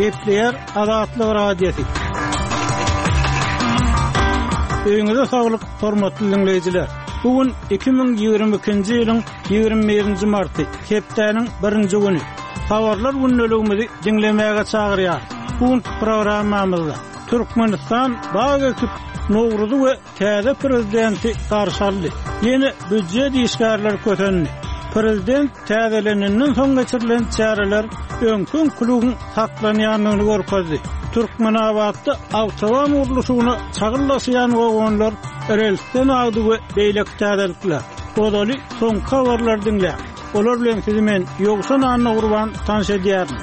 Gepleýär Azatlyk Radiosy. Öýüňize saglyk, hormatly diňleýjiler! Bu gün 2022-nji ýylyň 21-nji marty, hepdäniň birinji güni. Habarlar gündeligimizi diňlemäge çagyrýarys. Bu günki programmamyzda Türkmenistan bag ekip, Nowruzy we Täze prezidenti garşy aldy. Ýene býujet işgärleri kösendi. Prezident täzelenenden soň geçirilen çäreler öňki-öňküligiň saklanýandygyny görkezdi. Türkmenabatda awtoban gurluşygyna çagyl daşaýan wagonlar relsden agdy we beýleki täzelikler. Ozaly soňky habarlary diňläň. Olar bilen sizi men, Ýowşan Annagurban tanyş edýärin.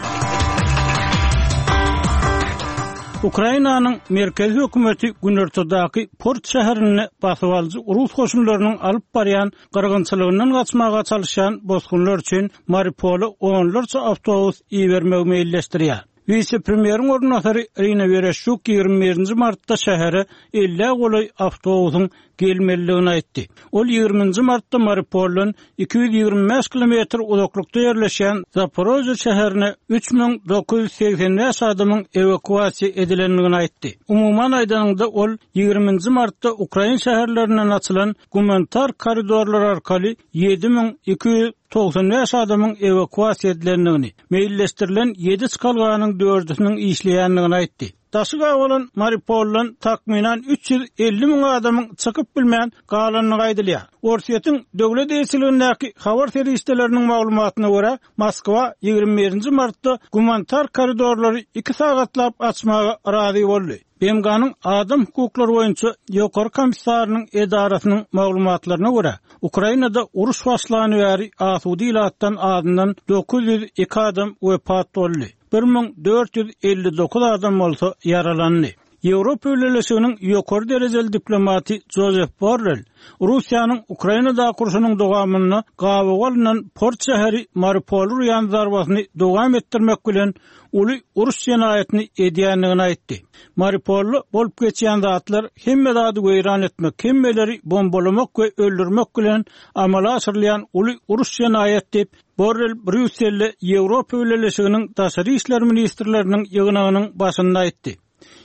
Ukrainanyň merkezi hökümeti günortadaky port şäherinde basybalyjy rus goşunlarynyň alyp barýan gyrgynçylygyndan gaçmaga çalyşýan bosgunlar üçin Mariupola onlarça awtobus ibermegi meýilleşdirýär. Wise-premýeriň orunbasary Irina Wereşçuk 21-nji martda şähere ellä golaý awtobusyň gelmelidigini aýtdy. Ol ýigriminji martda Mariupoldan 225 kilometr uzaklykda ýerleşýän Zaporožýe şäherine 3985 adamyň ewakuasiýa edilendigini aýtdy. Umuman aýdanyňda, ol ýigriminji martda ukrain şäherlerinden açylan gumanitar koridorlar arkaly 7295 adamyň ewakuasiýa edilendigini, meýilleşdirilen ýedi çykalganyň dördüsiniň işleýändigini aýtdy. Daşy gabalan Mariupoldan takmynan 350 müň adamyň çykyp bilmän galandygy aýdylýar. Orsýetiň döwlet eýeçiligindäki habar serişdeleriniň maglumatyna görä, Moskwa 21-nji martda gumanitar koridorlary iki sagatlap açmaga razy boldy. BMG-niň Adam hukuklary boýunça Ýokary komissarynyň edarasynyň maglumatlaryna görä, Ukrainada uruş başlany bäri asuda ilatdan azyndan 902 adam wepat boldy. 1459 adam bolsa ýaralandy. Ýewropa Bileleşiginiň ýokary derejeli diplomaty Jozef Borrel Russiýanyň Ukrainadaky urşunyň dowamynda gabawa alnan port şäheri Mariupoly urýan zarbasyny dowam etdirmek bilen uly uruş jenaýatyny edýändigini aýtdy. Mariupolda bolup geçýän zatlar hemme zady weýran etmek, hemmeleri bombalamak we öldürmek bilen amala aşyrylýan uly uruş jenaýat diýip, Borrel Brýusselde Ýewropa Bileleşiginiň daşary işler ministrleriniň ýygnagynyň başynda aýtdy.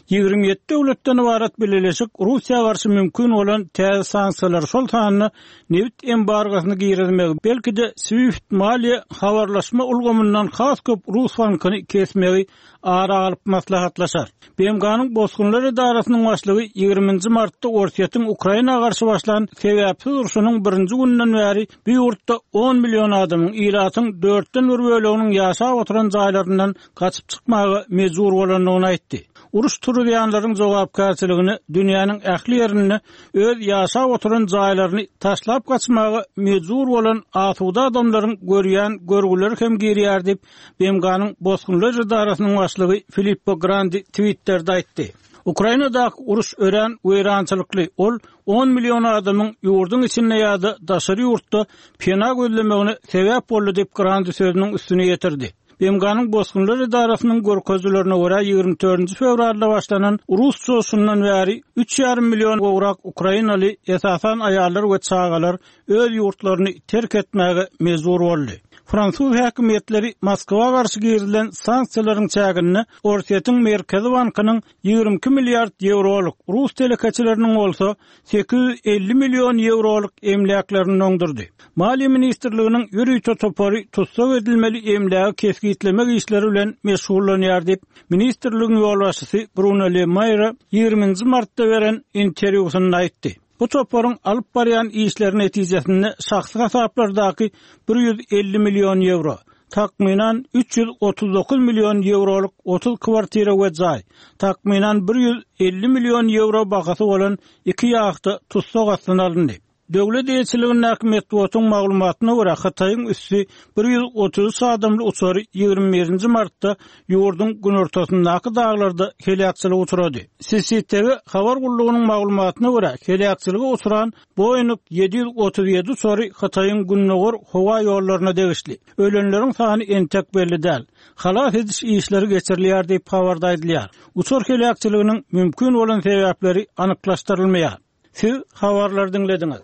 27 döwletden ybarat bileleşik Russiýa garşy mümkin bolan täze sanksiýalary, şol sanda nebit embargosyny girizmegi, belki-de SWIFT maliýe habarlaşma ulgamyndan has köp rus bankyny kesmegi ara alyp maslahatlaşar. BMG-niň Bosgunlar edarasynyň başlygy ýigriminji martda Orsýetiň Ukraina garşy başlan sebäpsiz urşunyň birinji gününden bäri bu ýurtda on million adamyň, ilatyň dörtden bir böleginiň ýaşap oturan jaýlaryndan gaçyp çykmaga mejbur bolandygyny aýtdy. Uruş turuzýanlaryň jogapkärçiligine dünýäniň ähli ýerinde öz ýaşap oturan jaýlaryny taşlap gaçmaga mejbur bolan asuda adamlaryň görýän görgüleri hem girýär diýip, BMG-niň Bosgunlar edarasynyň başlygy Filippo Grandi Twitterde aýtdy. Ukrainadaky uruş örän weýrançylykly, ol on million adamyň ýurduň içinde ýa-da daşary ýurtda pena gözlemegine sebäp boldy diýip, Grandi sözüniň üstüni ýetirdi. BMG-niň Bosgunlar edarasynyň görkezilerine görä, 24 fewralda başlanan rus çoşundan bäri üç ýarym million gowrak ukrainaly, esasan aýallar we çagalar öz ýurtlaryny terk etmäge mejbur boldy. Fransuz häkimiýetleri Moskwa garşy girizilen sanksiýalaryň çäginde Orsýetiň Merkezi bankynyň 22 milliard ýewrolyk, rus telekeçileriniň bolsa 850 million ýewrolyk emläklerini doňdurdy. Maliýe ministrliginiň ýörite topary tussag edilmeli emlägi kesgitlemek işleri bilen meşgullanýar diýip, ministrligiň ýolbaşçysy Bruno Le Maire 20-nji martda beren interwýusynda aýtdy. Bu toparyň alyp barýan işleri netijesinde şahsy hasaplardaky 150 million ýewro, takmynan 339 million ýewrolyk 30 kwartira we jaý, takmynan 150 million ýewro bahasy bolan iki ýahta tussag astyna alyndy. Döwlet eýeçiligindäki metbugatyň maglumatyna görä, Hytaýyň üsti 133 adamly uçary 21-nji martda ýurduň günortasyndaky daglarda heläkçilige uçrady. CCTV habar gullugynyň maglumatyna görä, heläkçilige uçran Boeing 737 uçary Hytaýyň gündogar howa ýollaryna degişli. Ölenleriň sany entek belli däl. Halas ediş işleri geçirilýär diýip, habarda aýdylýar. Uçar heläkçiliginiň mümkin bolan sebäpleri anyklaşdyrylmaýar. Siz habarlary diňlediňiz.